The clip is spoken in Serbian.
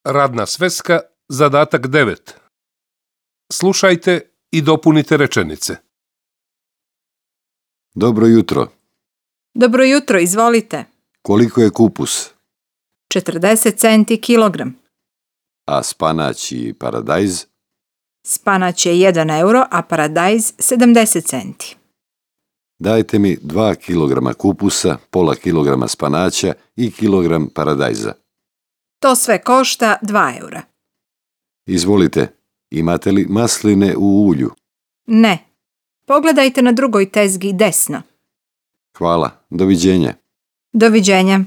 Radna sveska, zadatak 9. Slušajte i dopunite rečenice. Dobro jutro. Dobro jutro, izvolite. Koliko je kupus? 40 centi kilogram. A spanać i paradajz? Spanać je 1 euro, a paradajz 70 centi. Dajte mi 2 kilograma kupusa, pola kilograma spanaća i kilogram paradajza. To sve košta 2 eura. Izvolite, imate li masline u ulju? Ne. Pogledajte na drugoj tezgi desno. Hvala, doviđenja. Doviđenja.